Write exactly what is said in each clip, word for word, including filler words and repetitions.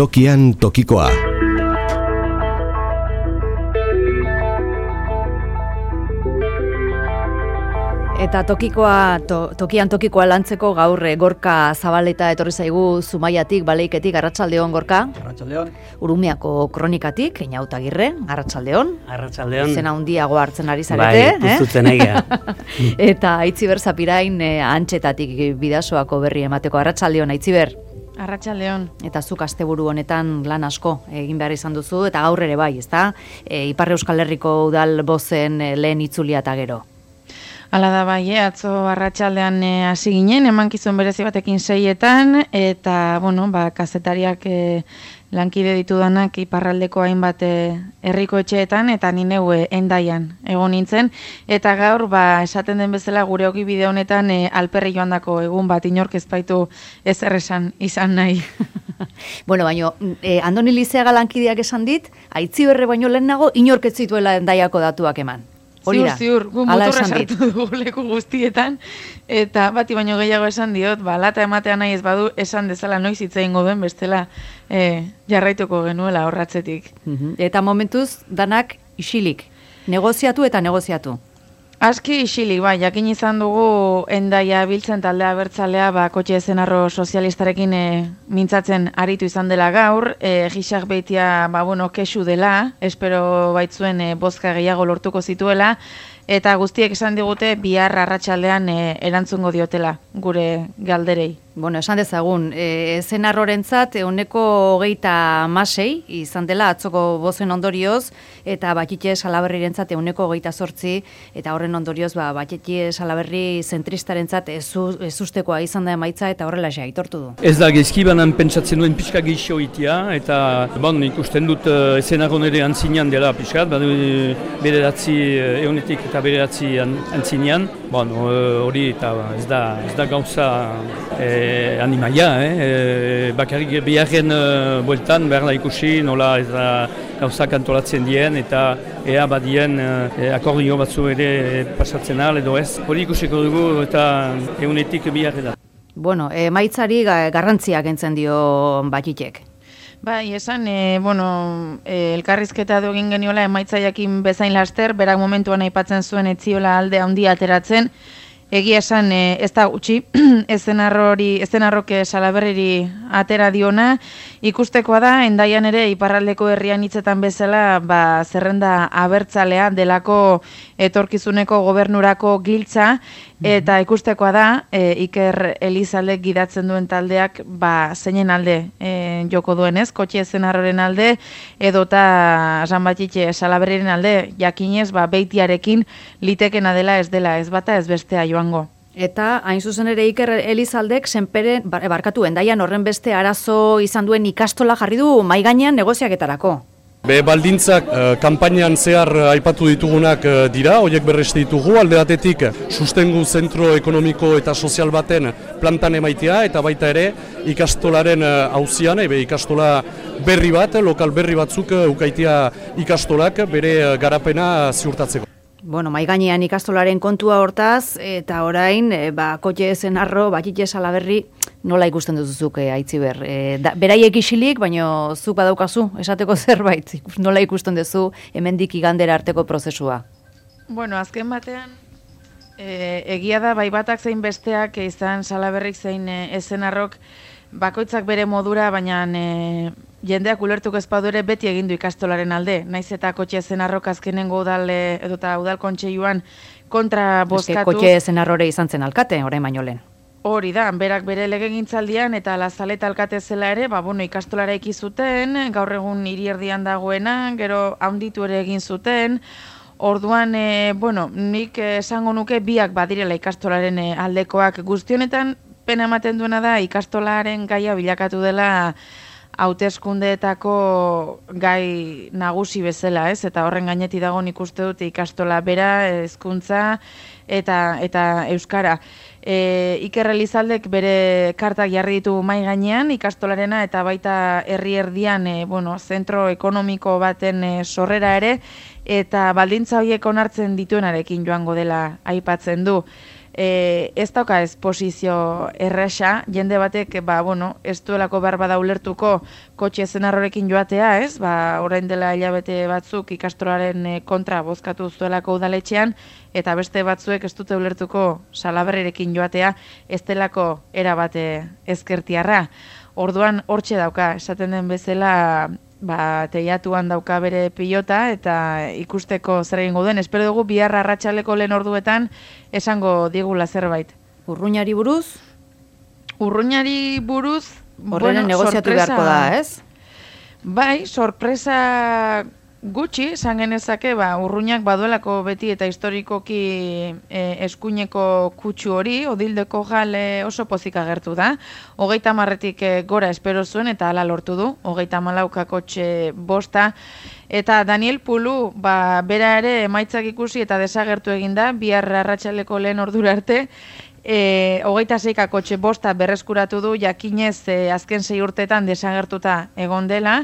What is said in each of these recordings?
Tokian tokikoa. Eta tokikoa, to, tokian tokikoa lantzeko gaur Gorka Zabaleta etorri zaigu Zumaiatik, Baleiketik, arratsaldeon Gorka. Arratsaldeon. Urumiako kronikatik, Einautagirre, arratsaldeon. Arratsaldeon. Zena handiago hartzen ari zarete, bai, puztutzen eh? egia. Eta Aitziber Zapirain eh, Antxetatik Bidasoako berri emateko, arratsaldeon Aitziber. Arratsaldeon. Eta zuk asteburu honetan lan asko egin behar izan duzu, eta gaur ere bai, ezta? E, Ipar Euskal Herriko udal bozen e, lehen itzulia eta gero. Hala da bai, eh? Atzo arratsaldean hasi ginen, emankizun berezi batekin seietan, eta, bueno, ba, kazetariak e, lankide ditudanak iparraldeko hainbat herriko etxeetan, eta ni neu Hendaian egon nintzen, eta gaur, ba, esaten den bezala gure ogi bide honetan e, alperri joandako egun bat inork ez baitu ezer esan izan nahi. Bueno, baino, eh, Andoni Lizeaga lankideak esan dit, Aitziberre baino lehenago inork ez zituela Hendaiako datuak eman. Ziur, ziur, gu muturra sartu dugu leku guztietan, eta bati baino gehiago esan diot, ba, lata ematea nahi ez badu, esan dezala noiz hitz egingo duen bestela e, jarraituko genuela horratzetik. Eta momentuz, danak isilik, negoziatu eta negoziatu. Aski isilik, bai, jakin izan dugu Hendaia biltzen taldea abertzalea, ba, kotxe zenarro sozialistarekin e, mintzatzen aritu izan dela gaur, e, gisak beitia, ba, bueno, kesu dela, espero baitzuen e, bozka gehiago lortuko zituela, eta guztiek esan digute bihar arratsaldean e, erantzungo diotela gure galderei. Bueno, esan dezagun, e, zenarrorentzat ehuneko hogeita hamasei izan dela atzoko bozen ondorioz, eta Batxitxe Salaberrirentzat ehuneko hogeita zortzi, eta horren ondorioz, ba, Batxitxe Salaberri zentristarentzat ezustekoa izan da emaitza, eta horrela xe aitortu du. Ez da, gezkibanan pentsatzen duen pixka gehiago itia, eta bon, ikusten dut uh, zenarron ere antzinean dela pixkat, badu bederatzi ehunetik eta bederatzi antzinean, bon, hori eta ez da, ez da gauza e, animaia, eh? E, bakarrik biharren uh, bueltan behar da ikusi nola ez da gauzak antolatzen dien eta ea badien uh, akordio batzu ere pasatzen al edo ez. Hori ikusiko dugu eta ehunetik biharren da. Bueno, emaitzari garrantzia kentzen dio Batxitek. Bai, esan, e, bueno, e, elkarrizketa du egin geniola emaitzaiakin bezain laster, berak momentuan aipatzen zuen etziola alde handia ateratzen, egia esan e, ez da gutxi, ezenarrok Salaberriri atera diona, ikustekoa da, Hendaian ere iparraldeko herrian hitzetan bezala, ba, zerrenda abertzalea delako etorkizuneko gobernurako giltza, eta ikustekoa da, e, Iker Elizaldek gidatzen duen taldeak, ba, zeinen alde e, joko duenez, kotxe zenarroren alde, edota San Batxitxe Salaberriren alde, jakinez, ba, beitiarekin litekena dela ez dela, ez bata ez bestea joango. Eta hain zuzen ere Iker Elizaldek senperen, barkatu, Hendaian horren beste arazo izan duen ikastola jarri du mahai gainean negoziaketarako. Be baldintzak eh, kanpainan zehar aipatu ditugunak eh, dira, horiek berreste ditugu, alde batetik sustengu zentro ekonomiko eta sozial baten plantan emaitea, eta baita ere ikastolaren auzian, ebe ikastola berri bat, lokal berri batzuk uh, ukaitea ikastolak bere uh, garapena ziurtatzeko. Bueno, mahai gainean ikastolaren kontua hortaz, eta orain, e, ba, Kotxe Zenarro, Batxitxe Salaberri, nola ikusten duzuzuk, e, Aitziber? E, da, beraiek isilik, baino zuk badaukazu, esateko zerbait, nola ikusten duzu hemendik igandera arteko prozesua? Bueno, azken batean, e, egia da, bai batak zein besteak, izan Salaberrik zein e, Zenarrok, bakoitzak bere modura, baina e, jendeak ulertuko ez badu ere beti egin du ikastolaren alde. Naiz eta Kotxe Zenarrok azkenengo udal edota udal kontseiluan kontra bozkatu. Kotxe Zenarrore izan zen alkate, orain baino lehen. Hori da, berak bere legegintzaldian eta Lazaleta alkate zela ere, ba, bueno, ikastolara eki zuten, gaur egun hiri erdian dagoena, gero handitu ere egin zuten. Orduan, e, bueno, nik esango nuke biak badirela ikastolaren e, aldekoak guztionetan, pena ematen duena da ikastolaren gaia bilakatu dela hauteskundeetako gai nagusi bezala, ez? Eta horren gaineti dago nik uste dut ikastola bera, hezkuntza eta eta euskara. E, Iker Elizaldek bere kartak jarri ditu mahai gainean ikastolarena eta baita herri erdian e, bueno, zentro ekonomiko baten e, sorrera ere eta baldintza horiek onartzen dituenarekin joango dela aipatzen du. E, ez dauka ez posizio erresa, jende batek, ba, bueno, ez duelako behar bada ulertuko kotxe zenarrorekin joatea, ez? Ba, orain dela hilabete batzuk ikastolaren kontra bozkatu zuelako udaletxean, eta beste batzuek ez dute ulertuko Salaberrirekin joatea, ez delako erabate ezkertiarra. Orduan hortxe dauka, esaten den bezala, ba, teiatuan dauka bere pilota eta ikusteko zer egingo duen. Espero dugu bihar arratsaleko lehen orduetan esango digula zerbait. Urruñari buruz? Urruñari buruz, Horrenen bueno, negoziatu sorpresa, beharko da, ez? Bai, sorpresa gutxi, esan genezake, ba, Urruñak baduelako beti eta historikoki e, eskuineko kutsu hori, Odildeko jale oso pozik agertu da. Hogeita marretik e, gora espero zuen eta hala lortu du, hogeita malauka kotxe bosta. Eta Daniel Pulu, ba, bera ere emaitzak ikusi eta desagertu eginda, bihar arratsaleko lehen ordura arte, E, hogeita zeika kotxe bosta berreskuratu du, jakinez e, azken sei urtetan desagertuta egon dela.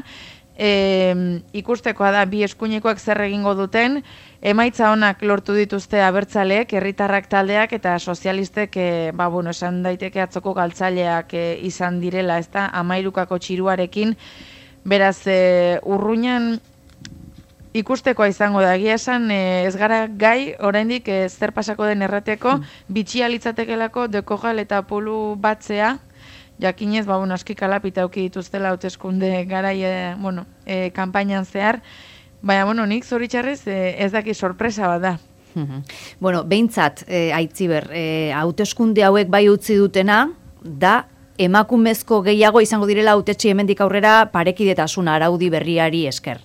E, ikustekoa da bi eskuinekoak zer egingo duten, emaitza onak lortu dituzte abertzaleek, herritarrak taldeak eta sozialistek, e, ba, bueno, esan daiteke atzoko galtzaileak e, izan direla, ezta, hamairukako txiruarekin, beraz, e, Urruñan ikustekoa izango da, egia esan ez gara gai, oraindik zer pasako den errateko, bitxia litzatekelako Dekojal eta Pulu batzea, jakinez, ba, bueno, aski kalapita auki dituztela hauteskunde garai, e, bueno, e, kanpainan zehar, baina, bueno, nik zoritxarrez e, ez daki sorpresa bat da. Bueno, behintzat, e, Aitziber, e, hauteskunde hauek bai utzi dutena, da emakumezko gehiago izango direla hautetsi hemendik aurrera parekidetasuna araudi berriari esker.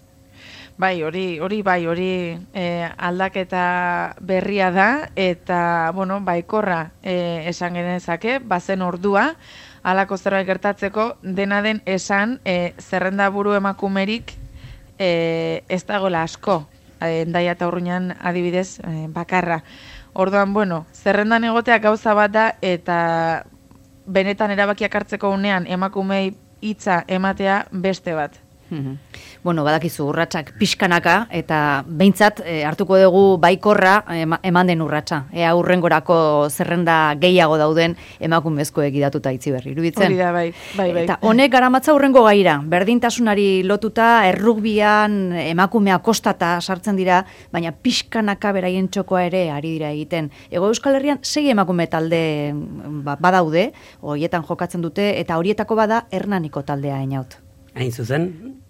Bai, hori, hori bai, hori e, aldaketa berria da, eta, bueno, baikorra e, esan genezake, bazen ordua, halako zerbait gertatzeko, dena den esan, e, zerrenda buru emakumerik e, ez dagoela asko, e, Hendaia eta Urruñan adibidez e, bakarra. Orduan, bueno, zerrendan egotea gauza bat da, eta benetan erabakiak hartzeko unean emakumei hitza ematea beste bat. Bueno, badakizu urratsak pixkanaka eta behintzat e, hartuko dugu baikorra ema, eman den urratsa. Ea hurrengorako zerrenda gehiago dauden emakumezkoek idatuta Aitziberri. Iruditzen? Hori da, bai, bai, bai. Eta honek garamatza hurrengo gaira, berdintasunari lotuta errugbian emakumea kostata sartzen dira, baina pixkanaka beraien txokoa ere ari dira egiten. Hego Euskal Herrian sei emakume talde ba, badaude, horietan jokatzen dute, eta horietako bada Hernaniko taldea Einaut. Hain zuzen,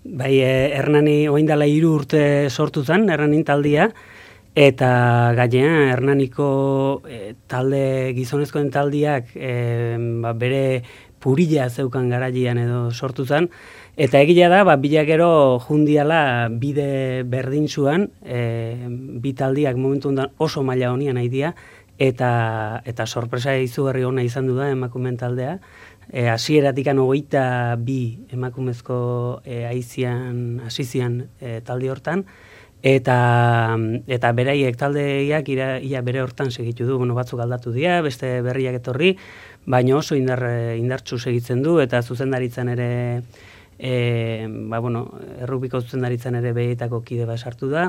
bai Hernani oindala hiru urte sortu zen, Hernanin taldia, eta gainera Hernaniko e, talde gizonezkoen taldiak e, ba, bere purila zeukan garaian edo sortu zen, eta egila da, ba, bilakero jundiala bide berdintzuan, e, bi taldiak momentu ondan oso maila honian nahi dira, eta, eta sorpresa izugarri ona izan du da emakumeen taldea. E, hasieratikan hogeita bi emakumezko e, aizian, asizian e, talde hortan, eta, eta beraiek taldeiak ira, ia bere hortan segitu du, bueno, batzuk aldatu dira, beste berriak etorri, baina oso indar, indartsu segitzen du, eta zuzendaritzan ere, e, ba, bueno, errukbiko zuzendaritzan ere behietako kide bat sartu da,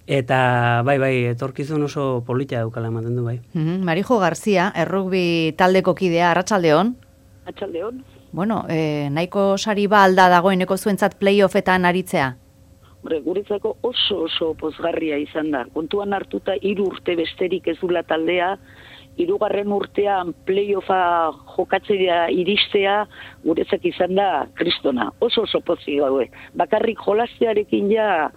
eta bai, bai, etorkizun oso polita daukala ematen du, bai. Mm-hmm. Marijo Garzia, errukbi taldeko kidea, arratsaldeon. Atxaldeon. Bueno, eh, nahiko sari ba alda dagoeneko zuentzat playoffetan aritzea? Hombre, guretzako oso oso pozgarria izan da. Kontuan hartuta hiru urte besterik ez dula taldea, hirugarren urtean playoffa jokatzea iristea, guretzak izan da kristona. Oso oso pozik gaude. Bakarrik jolastearekin ja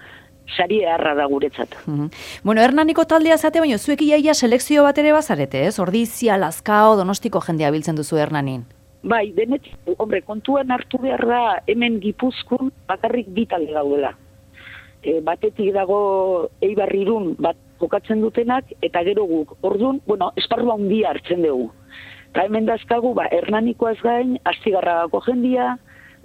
sari eharra da guretzat. Mm-hmm. Bueno, Hernaniko taldea zate, baina zuek iaia selekzio bat ere bazarete, ez? Ordizia, Lazkao, Donostiko jendea biltzen duzu Hernanin. Bai, denetik, hombre, kontuan hartu behar da hemen Gipuzkoan bakarrik bi talde daudela. E, batetik dago Eibar Irun bat jokatzen dutenak, eta gero guk. Orduan, bueno, esparrua handia hartzen dugu. Eta hemen dazkagu, ba, Hernanikoaz gain, Astigarragako jendia,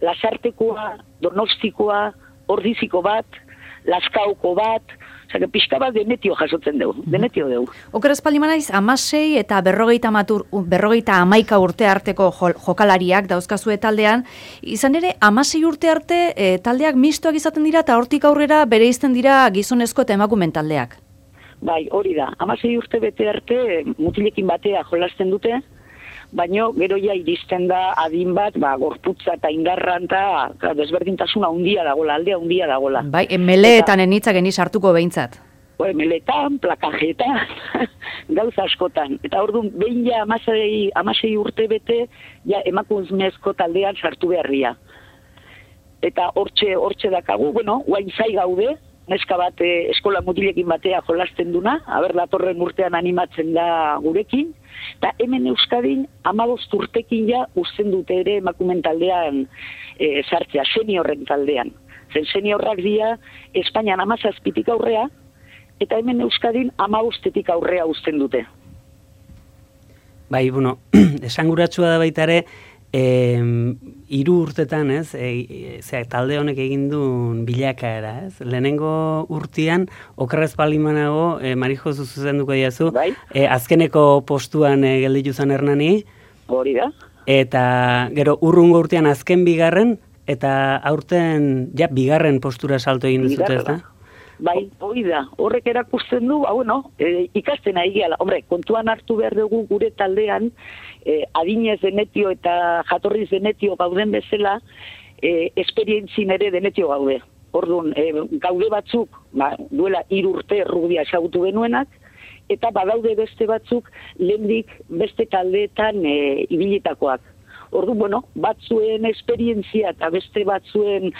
Lasartekoa, Donostikoa, Ordiziko bat, Lazkaoko bat, osea, pixka bat denetio jasotzen dugu, denetio dugu. Oker espaldi manaiz, amasei eta berrogeita, matur, berrogeita amaika urte arteko jokalariak dauzkazue taldean, izan ere, amasei urte arte e, taldeak mistoak izaten dira, eta hortik aurrera bere izten dira gizonezko eta emakumen taldeak. Bai, hori da. Hamasei urte bete arte mutilekin batea jolasten dute, baino gero ja iristen da adin bat, ba, gorputza eta indarran eta desberdintasuna handia dagola, aldea handia dagola. Bai, meleetan enitzak eni sartuko behintzat. Bai, meletan, plakajetan, gauza askotan. Eta orduan, behin ja amasei, amasei urte bete, ja emakumezko taldean sartu beharria. Eta hortxe, hortxe dakagu, bueno, guain zai gaude, neska bat eh, eskola mutilekin batea jolasten duna, haber datorren urtean animatzen da gurekin, eta hemen Euskadin hamabost urtekin ja uzten dute ere emakumen taldean e, sartzea, seniorren taldean. Zen seniorrak dira Espainian hamazazpitik aurrea, eta hemen Euskadin hamabostetik aurrea uzten dute. Bai, bueno, esanguratsua da baita ere, E, hiru urtetan, ez, e, e, talde honek egin duen bilakaera, ez? Lehenengo urtean, okerrez palimanago, e, Marijo zuzenduko diazu, bai? e, azkeneko postuan e, gelditu zen Hernani. Hori da. Eta gero urrungo urtean azken bigarren, eta aurten ja bigarren postura salto egin duzute, ez da? Bai, hori da. Horrek erakusten du, ba, bueno, e, ikasten ari gehala. Hombre, kontuan hartu behar dugu gure taldean, Eh, adinez denetio eta jatorriz denetio gauden bezala, eh, esperientzin ere denetio gaude. Orduan, eh, gaude batzuk, ba, duela hiru urte rugbia ezagutu genuenak, eta badaude beste batzuk lehendik beste taldeetan eh, ibilitakoak. Orduan, bueno, batzuen esperientzia eta beste batzuen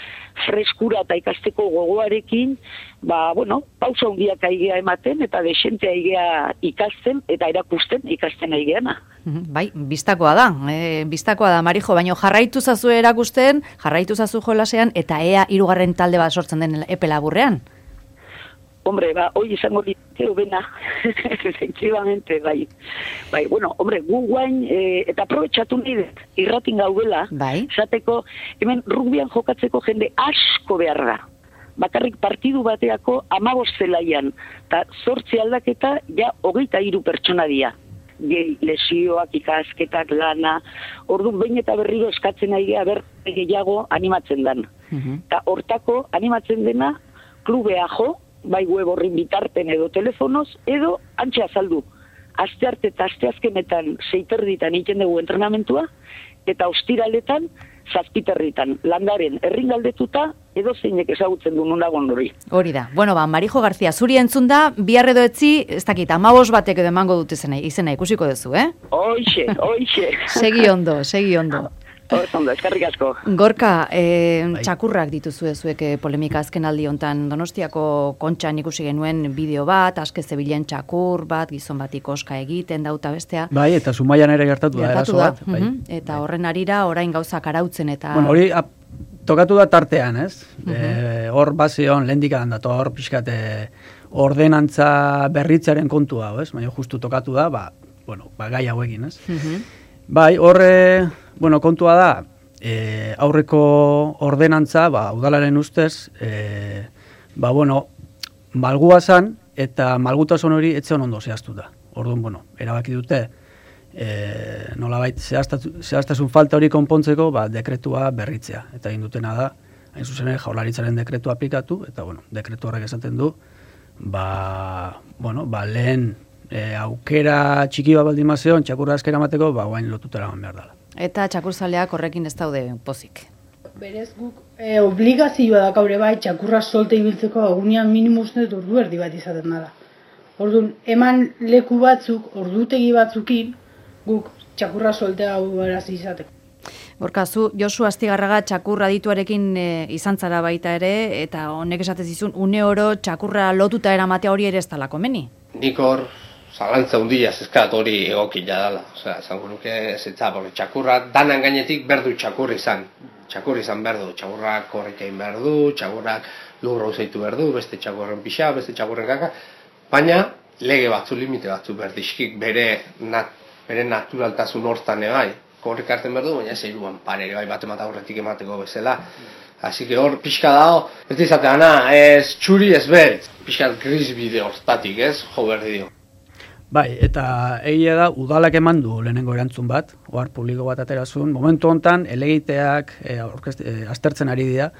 freskura eta ikasteko gogoarekin, ba, bueno, pausa handiak aigea ematen eta desente aigea ikasten eta erakusten ikasten aigeana. Bai, bistakoa da, e, bistakoa da, Marijo, baina jarraitu zazu erakusten, jarraitu zazu jolasean, eta ea hirugarren talde bat sortzen den epe laburrean? Hombre, ba, hoi izango diteo bena, efectivamente, bai. Bai, bueno, hombre, gu guain, e, eta aprobetxatu nahi dut, irratin gaudela, bai. Zateko, hemen rugbian jokatzeko jende asko behar da. Bakarrik partidu bateako hamabost zelaian, eta zortzi aldaketa, ja, hogeita hiru pertsona dira. Lesioak, ikasketak, lana, orduan behin eta berriro eskatzen nahi geha ber gehiago animatzen den. Eta uh-huh. hortako animatzen dena klubea jo, bai web horrin bitarten edo telefonoz, edo antxe azaldu. Aste arte eta aste azkenetan seiterditan egiten dugu entrenamentua, eta ostiraletan zazpiterritan, landaren erringaldetuta, edo zeinek ezagutzen du nunagon hori. Hori da. Bueno, ba, Marijo Garzia, zuri entzun da, bihar edo etzi, ez dakit, amabos batek edo emango dute izena, izena ikusiko duzu, eh? Hoixe, hoixe. Segi ondo, segi ondo. Hor ondo, eskerrik asko. Gorka, eh, txakurrak dituzu zuek polemika azken aldi hontan Donostiako Kontxan ikusi genuen bideo bat, aske zebilen txakur bat, gizon bat ikoska egiten dauta bestea. Bai, eta Zumaian ere gertatu da, eraso bat. Bai. Uh-huh. Eta horren arira orain gauzak arautzen eta... Bueno, hori ap, tokatu da tartean, ez? Uh-huh. E, hor bazion, lehendik adan datu, hor pixkate ordenantza berritzaren kontua, ez? Baina justu tokatu da, ba, bueno, ba, gai hauekin, ez? Uh-huh. Bai, horre, bueno, kontua da, e, aurreko ordenantza, ba, udalaren ustez, e, ba, bueno, malgua zan, eta malgutasun hori etzen ondo zehaztuta. Orduan, bueno, erabaki dute, e, nolabait zehaztasun falta hori konpontzeko, ba, dekretua berritzea. Eta egin dutena da, hain zuzen ere, Jaurlaritzaren dekretua aplikatu, eta, bueno, dekretu horrek esaten du, ba, bueno, ba, lehen, E, aukera txiki bat baldin mazion, txakurra askera mateko, ba, guain lotutera behar dela. Eta txakurzaleak horrekin ez daude pozik. Berez guk e, obligazioa da gaur bai txakurra solte ibiltzeko egunean minimuz net ordu erdi bat izaten dela. Orduan, eman leku batzuk, ordutegi batzukin, guk txakurra solte hau beraz izateko. Borkazu, Josu Astigarraga txakurra dituarekin e, izan zara baita ere, eta honek esatez izun, une oro txakurra lotuta eramatea hori ere ez talako meni? Nik hor, zalantza hundia zezkat hori egokila dela. Osea, zango nuke zetza, porque txakurra danan gainetik berdu txakur izan. Txakur izan berdu, txakurrak horrikein berdu, txakurrak lurra uzeitu berdu, beste txakurren pixa, beste txakurren kaka. Baina, lege batzu, limite batzu berdizkik bere, nat, bere naturaltasun hortan ebai. Horrik hartzen berdu, baina ez eiruan pare bai bat emata horretik emateko bezala. Así que hor pixka dago, ez dizatea, na, ez txuri ez beritz. Pixka gris bide hortatik, ez, jo berdi dio. Bai, eta egia da, udalak eman du lehenengo erantzun bat, ohar publiko bat aterazun, momentu hontan elegiteak e, orkest, e, aztertzen ari dira,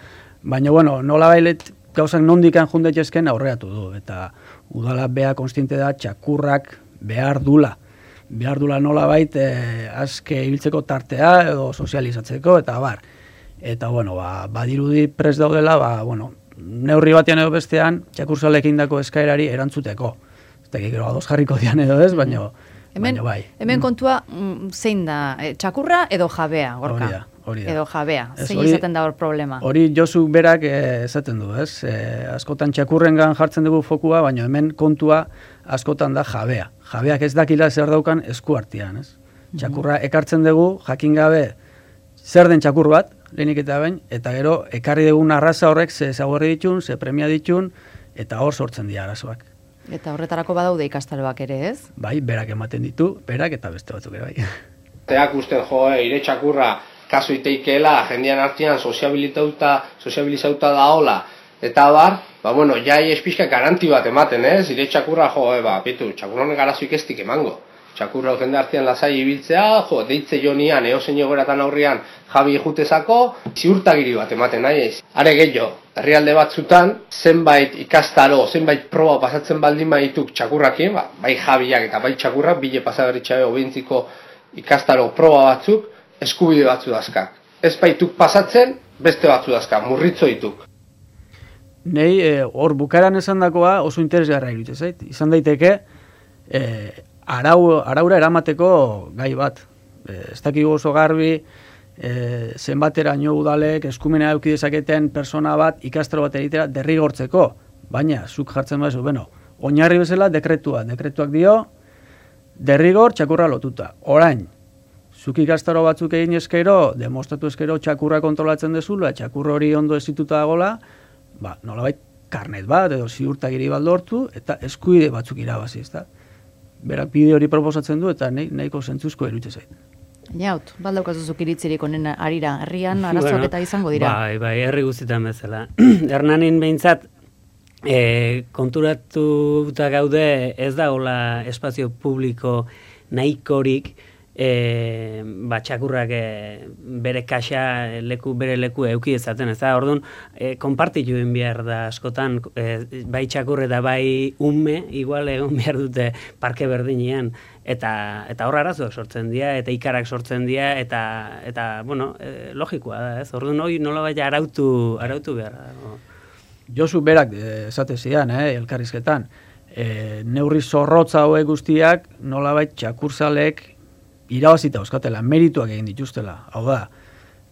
baina, bueno, nola bailet gauzak nondikan jundaitezken aurreatu du, eta udala bea konstiente da txakurrak behar dula. Behar dula nola bait, e, azke ibiltzeko tartea edo sozializatzeko, eta bar. Eta, bueno, ba, badirudi prest daudela, ba, bueno, neurri batean edo bestean, txakurzalekin dako eskaerari erantzuteko. Ez da, gero ados jarriko dian edo ez, baina, hemen, bai. Hemen kontua, mm, zein da, e, txakurra edo jabea, Gorka? Hori da, hori da. Edo jabea, Ez, zein hori- izaten da hor problema? Hori Josu berak eh, esaten du, ez? Eh, askotan txakurrengan jartzen dugu fokua, baina hemen kontua askotan da jabea. Jabeak ez dakila zer daukan esku artean, ez? Txakurra ekartzen dugu, jakin gabe zer den txakur bat, lehenik eta behin, eta gero ekarri dugun arraza horrek ze zaguerri ditun, ze premia ditun, eta hor sortzen dira arazoak. Eta horretarako badaude ikastaroak ere, ez? Bai, berak ematen ditu, berak eta beste batzuk ere bai. Teak uste jo, eh, ire txakurra kasu iteikeela, jendean artean soziabilitauta, soziabilizauta daola, eta bar, ba bueno, jai espizka garanti bat ematen, ez? Ire txakurra jo, eh, ba, pitu, txakur honek arazoik ez dik emango. Txakurra jende artean lasai ibiltzea, jo, deitze jonian, eosein egoeratan aurrian jabi jutezako, ziurtagiri bat ematen nahi ez. Are gehiago, herrialde batzutan, zenbait ikastaro, zenbait proba pasatzen baldin badituk txakurrakin, ba, bai jabiak eta bai txakurrak, bile pasaberritxabe obentziko ikastaro proba batzuk, eskubide batzu dazkak. Ez baituk pasatzen, beste batzu dazkak, murritzo dituk. Nei, eh, hor bukaran esan dakoa oso interesgarra iruditzen zait. Izan daiteke, eh, arau, araura eramateko gai bat. Eh, ez dakigu oso garbi, eh, zenbateraino udalek eskumena eduki dezaketen persona bat ikastaro bat egitera derrigortzeko. Baina, zuk jartzen bazu, bueno, oinarri bezala dekretua. Dekretuak dio, derrigor txakurra lotuta. Orain, zuk ikastaro batzuk egin eskero, demostratu eskero txakurra kontrolatzen dezula, txakur hori ondo ezituta dagoela, ba, nolabait karnet bat edo ziurtagiri bat lortu eta eskubide batzuk irabazi, ezta? Berak bide hori proposatzen du eta nahi, nahiko zentzuzko iruditzen zait. Jaut, baldaukazu iritzirik honen arira, herrian arazoak Bueno, eta izango dira. Bai, bai, herri guztietan bezala. Hernanin behintzat, e, konturatuta gaude ez da hola espazio publiko nahikorik, e, ba, txakurrak e, bere kaxa leku, bere leku euki ezaten, ez da, orduan, e, konpartitu egin behar da askotan, e, bai txakur eta bai ume, igual egon behar dute parke berdinean, eta eta hor arazoak sortzen dira, eta ikarak sortzen dira, eta, eta bueno, e, logikoa da, ez, orduan hori nolabait arautu, arautu behar da. Josu berak eh, esate zidan, eh, elkarrizketan, eh, neurri zorrotza hauek guztiak nolabait txakurzalek irabazita euskatela, merituak egin dituztela. Hau da,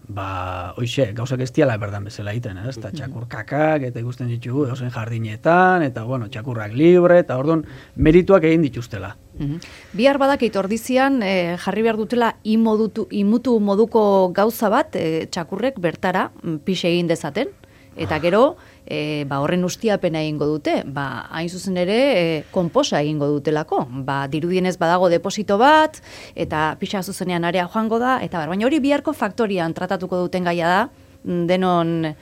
ba, oixe, gauzak ez diala berdan bezala egiten, ez? Eta txakur kakak, eta ikusten ditugu, eusen jardinetan, eta, bueno, txakurrak libre, eta orduan merituak egin dituztela. Mhm. Bihar badakit ordizian eh, jarri behar dutela imodutu, imutu moduko gauza bat eh, txakurrek bertara mm, pixe egin dezaten, eta gero e, ba, horren ustiapena egingo dute, ba, hain zuzen ere e, konposa egingo dutelako, ba, dirudienez badago deposito bat, eta pixa zuzenean area joango da, eta bar, baina hori biharko faktorian tratatuko duten gaia da, denon e,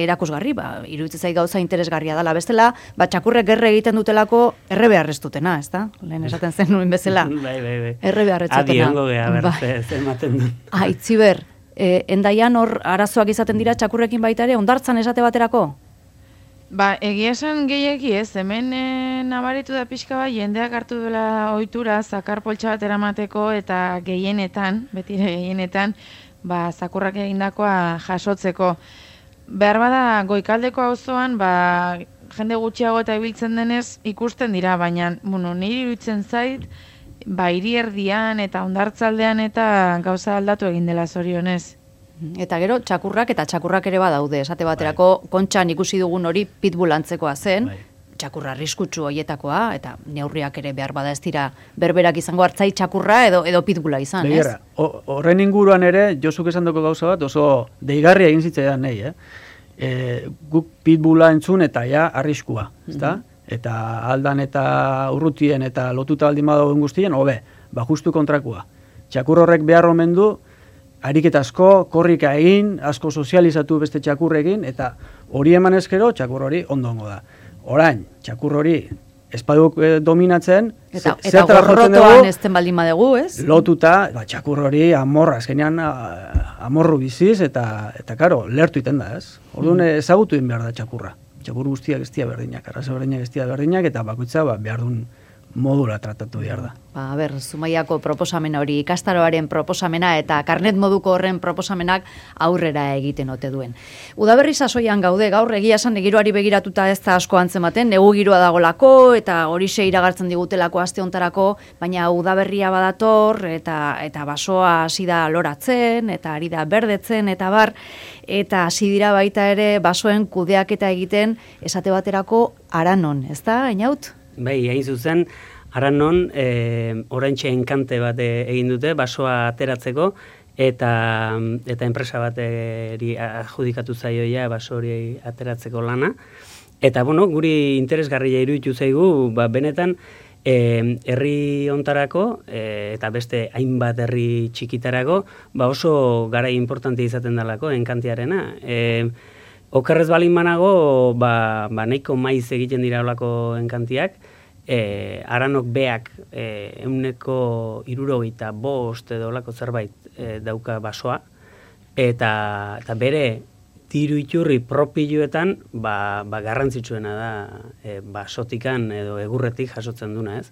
erakusgarri, ba, iruditzen zait gauza interesgarria dela, bestela, ba, txakurrek erre egiten dutelako erre beharrez dutena, ez da? Lehen esaten zen nuen bezala. Bai, bai, bai. Erre beharrez dutena. Adi hongo geha, Bai. berze, ze ematen duen. Ah, itziber, e, endaian hor arazoak izaten dira txakurrekin baita ere, ondartzan esate baterako? Ba, egia esan gehiagi ez, hemen e, nabaritu da pixka bat, jendeak hartu duela ohitura zakar poltsa bat eramateko eta gehienetan, betire gehienetan, ba, zakurrak egindakoa jasotzeko. Behar bada, Goikaldeko auzoan, ba, jende gutxiago eta ibiltzen denez ikusten dira, baina, bueno, niri iruditzen zait, ba, hiri erdian eta hondartzaldean eta gauza aldatu egin dela zorionez. Eta gero, txakurrak eta txakurrak ere badaude, esate baterako, kontxan ikusi dugun hori pitbull antzekoa zen, Bai. txakurra arriskutsu hoietakoa, eta neurriak ere behar bada ez dira berberak izango hartzai txakurra edo edo pitbulla izan, Begira, ez? ho- horren inguruan ere, Josuk esan doko gauza bat, oso deigarria egin zitzaidan nahi, eh? E, guk pitbulla entzun eta ja arriskua, ezta? Eta aldan eta urrutien eta lotuta baldin badagoen guztien, hobe, ba justu kontrakua. Txakur horrek behar omen du, ariketa asko, korrika egin, asko sozializatu beste txakurrekin, eta hori eman ezkero, txakur hori ondongo da. Orain, txakur hori espaduk eh, dominatzen, Eta, ze- eta zertara jotzen gorrotoan dugu, ezten baldin badegu, ez? lotuta, ba, txakur hori amorra, azkenean a- amorru biziz, eta, eta karo, lertu iten da, ez? Orduan ezagutu egin behar da txakurra. txakur guztiak ez dira berdinak, arraza berdinak ez dira berdinak, eta bakoitza ba, behar duen modura tratatu behar da. Ba, a ber, Zumaiako proposamena hori, ikastaroaren proposamena eta karnet moduko horren proposamenak aurrera egiten ote duen. Udaberri sasoian gaude, gaur egia esan giroari begiratuta ez da asko antzematen, negu giroa dagolako eta horixe iragartzen digutelako aste hontarako, baina udaberria badator eta eta basoa hasi da loratzen eta ari da berdetzen eta bar, eta hasi dira baita ere basoen kudeaketa egiten esate baterako Aranon, ez da, Einaut? Bai, hain zuzen, Aranon e, oraintxe enkante bat egin dute, basoa ateratzeko, eta eta enpresa bateri adjudikatu zaioia baso hori ateratzeko lana. Eta, bueno, guri interesgarria iruditu zaigu, ba, benetan, e, herri hontarako, e, eta beste hainbat herri txikitarako, ba oso garai importante izaten dalako, enkantiarena. E, Okerrez balin banago, ba, ba nahiko maiz egiten dira olako enkantiak, e, Aranok beak e, euneko hirurogeita bost edo olako zerbait e, dauka basoa, eta, eta bere diru iturri propiluetan ba, ba garrantzitsuena da e, basotikan edo egurretik jasotzen duna, ez?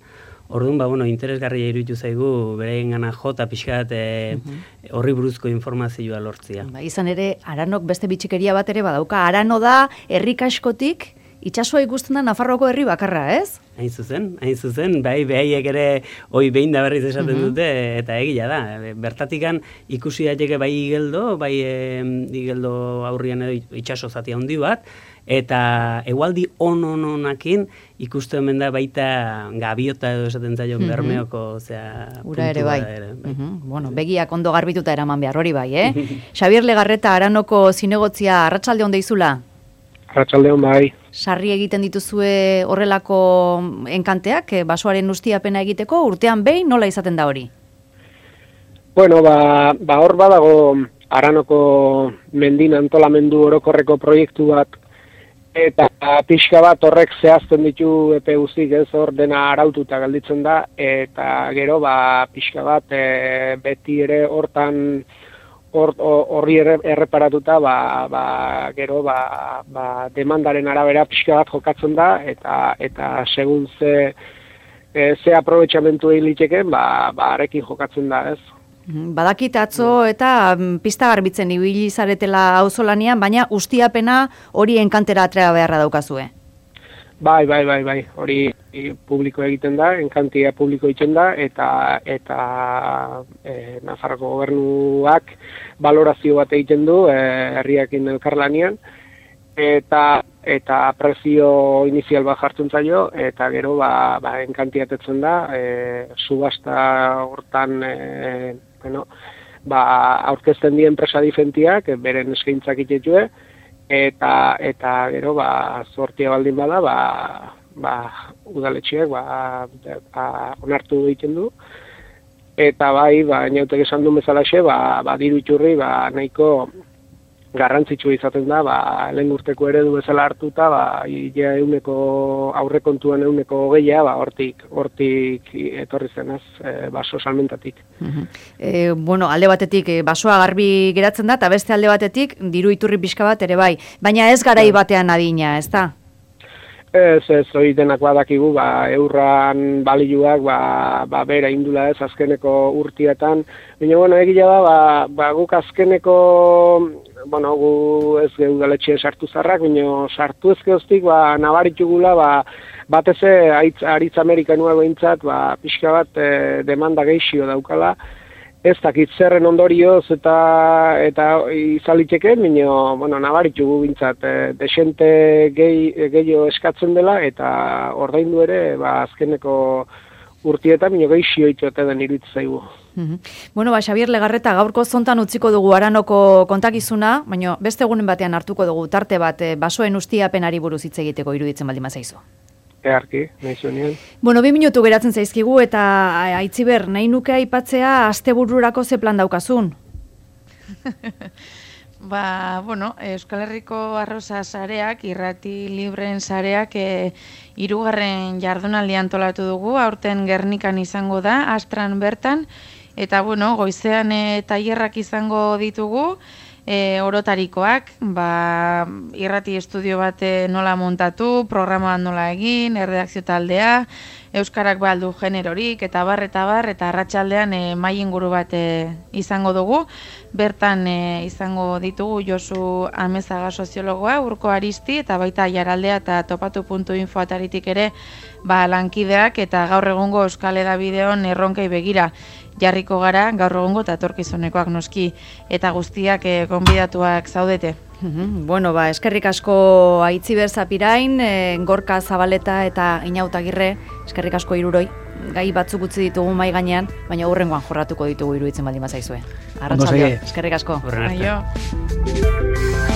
Orduan, ba, bueno, interesgarria iruditu zaigu bereengana jota pixkat e, horri buruzko informazioa lortzia. Ba, izan ere, Aranok beste bitxikeria bat ere badauka. Arano da, herri kaskotik, itsasoa ikusten da Nafarroako herri bakarra, ez? Hain zuzen, hain zuzen, bai, behaiek ere hoi behin da berriz esaten Mhm. dute, eta egia da. Bertatikan ikusi daiteke bai igeldo, bai e, igeldo aurrian edo itsaso zati handi bat, eta egualdi on-on-onakin ikusten omen da baita gabiota edo esaten zaio Mhm. Bermeoko, osea, Ura ere puntua bai. da ere, bai. Mhm. Bueno, begiak ondo garbituta eraman behar hori bai, eh? Xabier Legarreta Aranoko zinegotzia arratsalde on deizula. Arratsaldeon bai. Sarri egiten dituzue horrelako enkanteak, eh, basoaren ustiapena egiteko, urtean behin nola izaten da hori? Bueno, ba, ba hor badago Aranoko mendin antolamendu orokorreko proiektu bat, eta pixka bat horrek zehazten ditu epe guztik, ez hor dena araututa gelditzen da, eta gero ba pixka bat e, beti ere hortan hor- horri erre- erreparatuta ba, ba, gero ba, ba demandaren arabera pixka bat jokatzen da, eta eta segun ze e, ze aprobetxamentu egin liteken, ba, ba arekin jokatzen da, ez? Mhm. Badakit atzo eta mm, pista garbitzen ibili zaretela auzolanean, baina ustiapena hori enkantera atrea beharra daukazue. Bai, bai, bai, bai, hori publiko egiten da, enkantia publiko egiten da, eta eta e, Nafarroko gobernuak balorazio bat egiten du e, herriakin elkarlanean, eta eta prezio inizial bat jartzen zaio, eta gero ba, ba enkantiatetzen da, e, subasta hortan e, bueno, ba, aurkezten die enpresa diferentiak, beren eskaintzak itetue, eta eta gero ba sortia baldin bada ba ba udaletxeak ba, ba onartu egiten du, eta bai ba Inautek esan du bezalaxe ba ba diru iturri ba nahiko garrantzitsua izaten da, ba lehen urteko eredu bezala hartuta ba ia ehuneko aurrekontuan ehuneko hogeia ba hortik hortik etorri zenaz e, baso salmentatik. E, bueno, alde batetik e, basoa garbi geratzen da, eta beste alde batetik diru iturri pixka bat ere bai. Baina ez garai batean adina, ez da? Ez, ez, hori denak badakigu, ba, eurran balioak, ba, ba, bera indula ez, azkeneko urtietan. Baina, bueno, egia da, ba, ba, guk azkeneko, bueno, gu ez geudaletxe sartu zarrak, baina sartu ezkeoztik, ba, nabaritugula, ba, bateze, aritz, aritz Amerikanua behintzat, ba, pixka bat e, demanda geixio daukala, ez dakit zerren ondorioz eta eta izaliteke, baina, bueno, nabaritugu bintzat, e, desente gehi, gehiago eskatzen dela, eta ordaindu ere, ba, azkeneko urtietan, baina gehixio itote den iruditzen zaigu. Mhm. Bueno, ba, Xabier Legarreta, gaurko zontan utziko dugu Aranoko kontakizuna, baina beste egunen batean hartuko dugu tarte bat e, basoen ustiapenari buruz hitz egiteko iruditzen baldin bazaizu. Earki, nahi zuenean. Bueno, bi minutu geratzen zaizkigu eta Aitziber, nahi nuke aipatzea astebururako ze plan daukazun? Ba, bueno, Euskal Herriko Arroza sareak, irrati libren sareak, e, hirugarren jardunaldi antolatu dugu, aurten Gernikan izango da, Astran bertan, eta bueno, goizean e, tailerrak izango ditugu, e, orotarikoak, ba, irrati estudio bat nola montatu, programa nola egin, erredakzio taldea, euskarak baldu generorik, eta bar, eta bar, eta arratsaldean e, mai inguru bat e, izango dugu. Bertan e, izango ditugu Josu Amezaga soziologoa, Urko Aristi, eta baita Jaraldea eta topatu puntu info ataritik ere ba, lankideak, eta gaur egungo Euskal Hedabideon erronkei begira jarriko gara, gaur egungo eta etorkizunekoak noski, eta guztiak e, gonbidatuak zaudete. Bueno, ba, eskerrik asko Aitziber Zapirain, e, Gorka Zabaleta eta Inautagirre, eskerrik asko hiruroi. Gai batzuk utzi ditugu mai gainean, baina hurrengoan jorratuko ditugu iruditzen baldin bazaizue. Arratsaldeon, eskerrik asko. Horren arte.